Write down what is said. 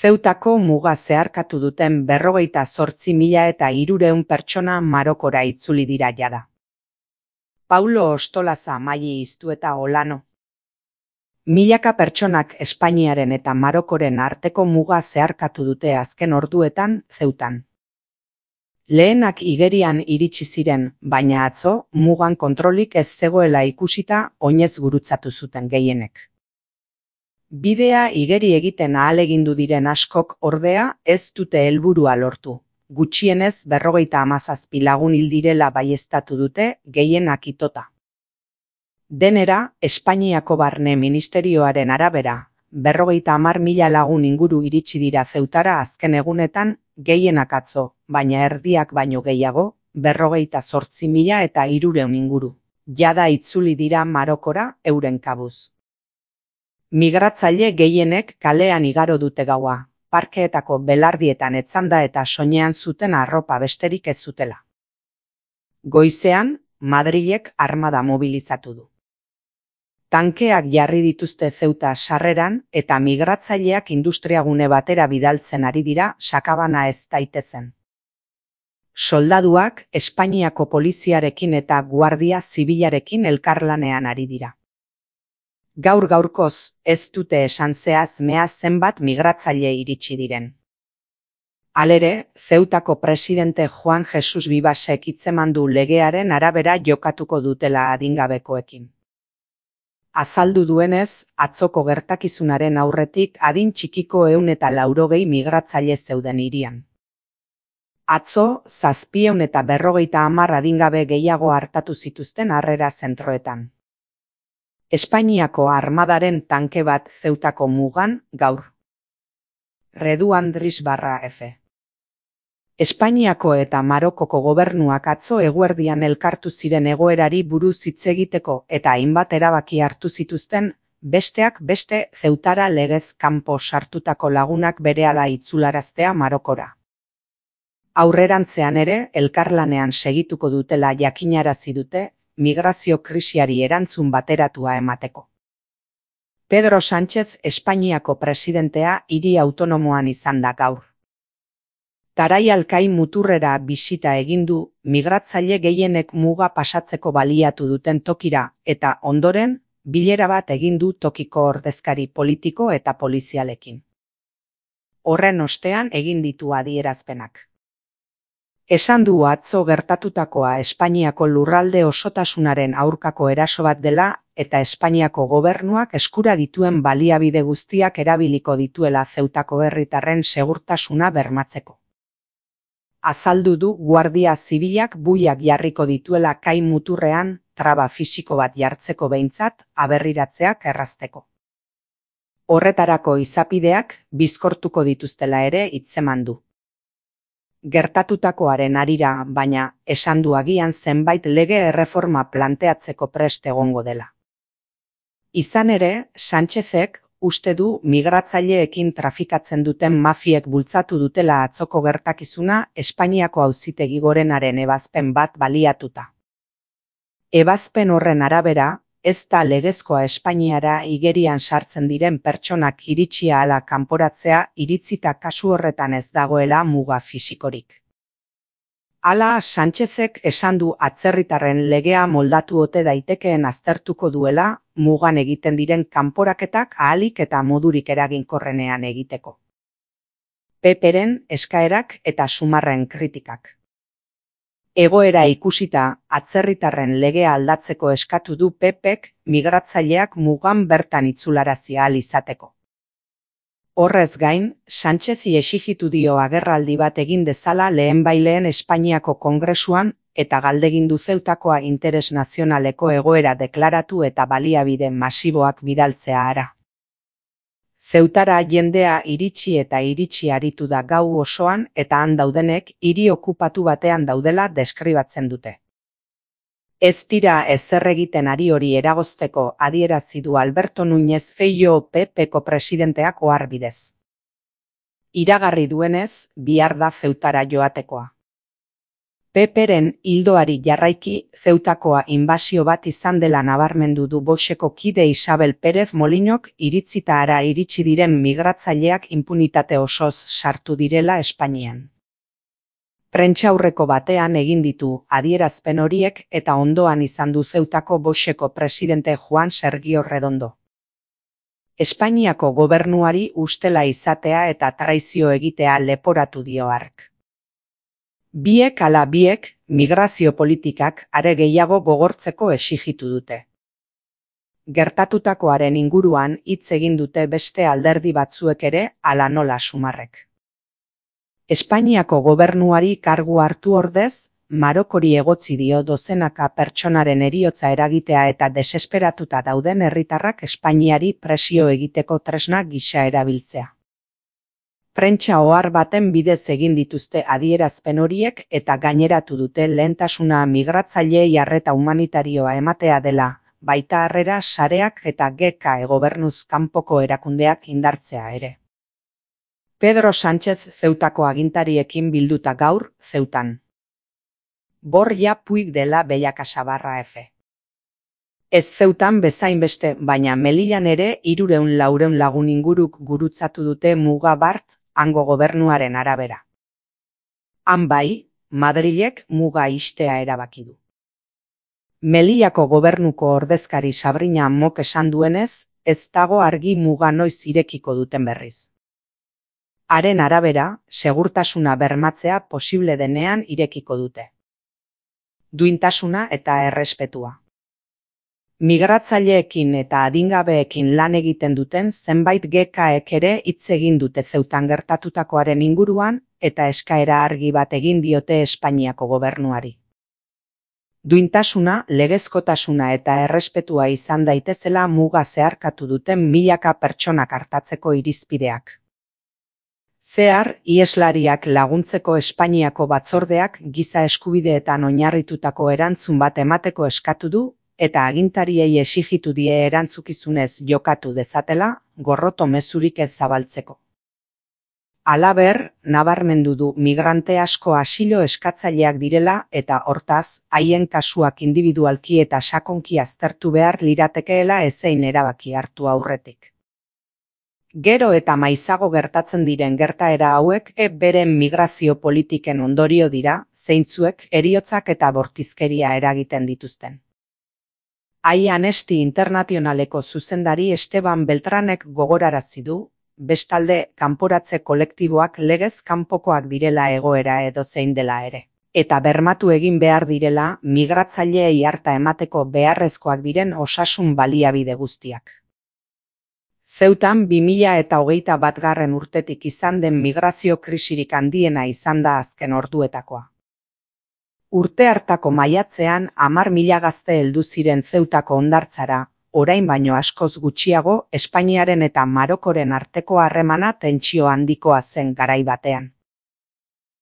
Zeutako muga zeharkatu duten 58.300 pertsona Marokora itzuli dira jada. Paulo Ostolaza, Maili Iztueta Olano. Milaka pertsonak Espainiaren eta Marokoren arteko muga zeharkatu dute azken orduetan Zeutan. Lehenak igerian iritsi ziren, baina atzo mugan kontrolik ez zegoela ikusita oinez gurutzatu zuten gehienek. Bidea igeri egiten ahalegindu diren askok ordea ez dute helburua lortu. Gutxienez 57 lagun hil direla baieztatu dute, gehienak itota. Denera, Espainiako Barne Ministerioaren arabera, 50.000 lagun inguru iritsi dira Zeutara azken egunetan, gehienak atzo, baina erdiak baino gehiago, 58.300 inguru. Jada itzuli dira Marokora euren kabuz. Migratzaile gehienek kalean igaro dute gaua, parkeetako belardietan etzanda eta soinean zuten arropa besterik ez zutela. Goizean, Madrilek armada mobilizatu du. Tankeak jarri dituzte Zeuta sarreran eta migratzaileak industriagune batera bidaltzen ari dira sakabana ez daitezen. Soldaduak Espainiako poliziarekin eta guardia zibilarekin elkarlanean ari dira. Gaur-gaurkoz, ez dute esan zehaz-mehaz zenbat migratzaile iritsi diren. Halere, Zeutako presidente Juan Jesus Vivasek hitzeman du legearen arabera jokatuko dutela adingabekoekin. Azaldu duenez, atzoko gertakizunaren aurretik adin txikiko 180 migratzaile zeuden hirian. Atzo, 750 adingabe gehiago hartatu zituzten harrera zentroetan. Espainiako armadaren tanke bat Zeutako mugan gaur. Redu Andris/F. Espainiako eta Marokoko gobernuak atzo eguerdian elkartu ziren egoerari buruz hitz egiteko eta hainbat erabaki hartu zituzten, besteak beste Zeutara legez kanpo sartutako lagunak berehala itzularaztea Marokora. Aurrerantzean ere, elkarlanean segituko dutela jakinarazi dute, migrazio krisiari erantzun bateratua emateko. Pedro Sánchez Espainiako presidentea hiri autonomoan izan da gaur. Tarai Alkai muturrera bisita egin du, migratzaile gehienek muga pasatzeko baliatu duten tokira eta ondoren, bilera bat egin du tokiko ordezkari politiko eta polizialekin. Horren ostean egin ditu adierazpenak. Esan du atzo gertatutakoa Espainiako lurralde osotasunaren aurkako eraso bat dela eta Espainiako gobernuak eskura dituen baliabide guztiak erabiliko dituela Zeutako herritarren segurtasuna bermatzeko. Azaldu du guardia zibilak buiak jarriko dituela kai muturrean traba fisiko bat jartzeko behintzat aberriratzeak errazteko. Horretarako izapideak bizkortuko dituztela ere hitzeman du. Gertatutakoaren harira, baina, esan du agian zenbait lege erreforma planteatzeko prest egongo dela. Izan ere, Sánchezek uste du migratzaileekin trafikatzen duten mafiek bultzatu dutela atzoko gertakizuna Espainiako Auzitegi Gorenaren ebazpen bat baliatuta. Ebazpen horren arabera, ez da legezkoa Espainiara igerian sartzen diren pertsonak iritsia ala kanporatzea iritzita kasu horretan ez dagoela muga fisikorik. Hala, Sánchezek esan du atzerritarren legea moldatu ote daitekeen aztertuko duela mugan egiten diren kanporaketak ahalik eta modurik eraginkorrenean egiteko. PP-ren eskaerak eta Sumarren kritikak. Egoera ikusita, atzerritarren legea aldatzeko eskatu du PP-k migratzaileak mugan bertan itzularazi ahal izateko. Horrez gain, Sánchezi exijitu dio agerraldi bat egin dezala lehenbaileen Espainiako Kongresuan eta galdegindu Zeutakoa interes nazionaleko egoera deklaratu eta baliabide masiboak bidaltzea ara. Zeutara jendea iritsi eta iritsi aritu da gau osoan eta han daudenek hiri okupatu batean daudela deskribatzen dute. Ez dira ezer egiten ari hori eragozteko adierazi du Alberto Núñez Feijóo PP-ko presidenteak oharbidez. Iragarri duenez, bihar da Zeutara joatekoa. PP-ren ildoari jarraiki Zeutakoa inbasio bat izan dela nabarmendu du Voxeko kide Isabel Pérez Molinok iritzita hara iritsi diren migratzaileak inpunitate osoz sartu direla Espainian. Prentsaurreko batean egin ditu adierazpen horiek eta ondoan izan du Zeutako Voxeko presidente Juan Sergio Redondo. Espainiako gobernuari ustela izatea eta traizio egitea leporatu dio hark. Biek ala biek migrazio politikak are gehiago gogortzeko exigitu dute. Gertatutakoaren inguruan hitz egin dute beste alderdi batzuek ere ala nola Sumarrek. Espainiako gobernuari kargu hartu ordez, Marokori egotzi dio dozenaka pertsonaren heriotza eragitea eta desesperatuta dauden herritarrak Espainiari presio egiteko tresna gisa erabiltzea. Prentsa ohar baten bidez egin dituzte adierazpen horiek eta gaineratu dute lehentasuna migratzaileei arreta humanitarioa ematea dela, baita harrera sareak eta GK gobernuz kanpoko erakundeak indartzea ere. Pedro Sánchez Zeutako agintariekin bilduta gaur, Zeutan. Borja Puig dela Bellakasabarra F. Ez Zeutan bezain beste, baina Melillan ere 300-400 lagun inguruk gurutzatu dute muga bart, hango gobernuaren arabera. Han bai, Madrilek muga ixtea erabaki du. Melillako gobernuko ordezkari Sabrina Mok esan duenez, ez dago argi muga noiz irekiko duten berriz. Haren arabera, segurtasuna bermatzea posible denean irekiko dute. Duintasuna eta errespetua. Migratzaileekin eta adingabeekin lan egiten duten zenbait GKek ere hitz egin dute Zeutan gertatutakoaren inguruan eta eskaera argi bat egin diote Espainiako gobernuari. Duintasuna, legezkotasuna eta errespetua izan daitezela muga zeharkatu duten milaka pertsonak artatzeko irizpideak. Zehar, iheslariak laguntzeko Espainiako batzordeak giza eskubideetan oinarritutako erantzun bat emateko eskatu du, eta agintariei exigitu die erantzukizunez jokatu dezatela, gorroto mezurik ez zabaltzeko. Halaber, nabarmendu du migrante asko asilo eskatzaileak direla eta hortaz, haien kasuak indibidualki eta sakonki aztertu behar liratekeela ezein erabaki hartu aurretik. Gero eta maizago gertatzen diren gertaera hauek beren migrazio politiken ondorio dira, zeintzuek heriotzak eta bortizkeria eragiten dituzten. Amnesty Internationaleko zuzendari Esteban Beltranek gogorarazi du, bestalde kanporatze kolektiboak legez kanpokoak direla egoera edozein dela ere, eta bermatu egin behar direla migratzaileei harta emateko beharrezkoak diren osasun baliabide guztiak. Zeutan 2021 urtetik izan den migrazio krisirik handiena izan da azken orduetakoa. Urte hartako maiatzean 10.000 gazte heldu ziren Zeutako hondartzara, orain baino askoz gutxiago Espainiaren eta Marokoren arteko harremana tentsio handikoa zen garai batean.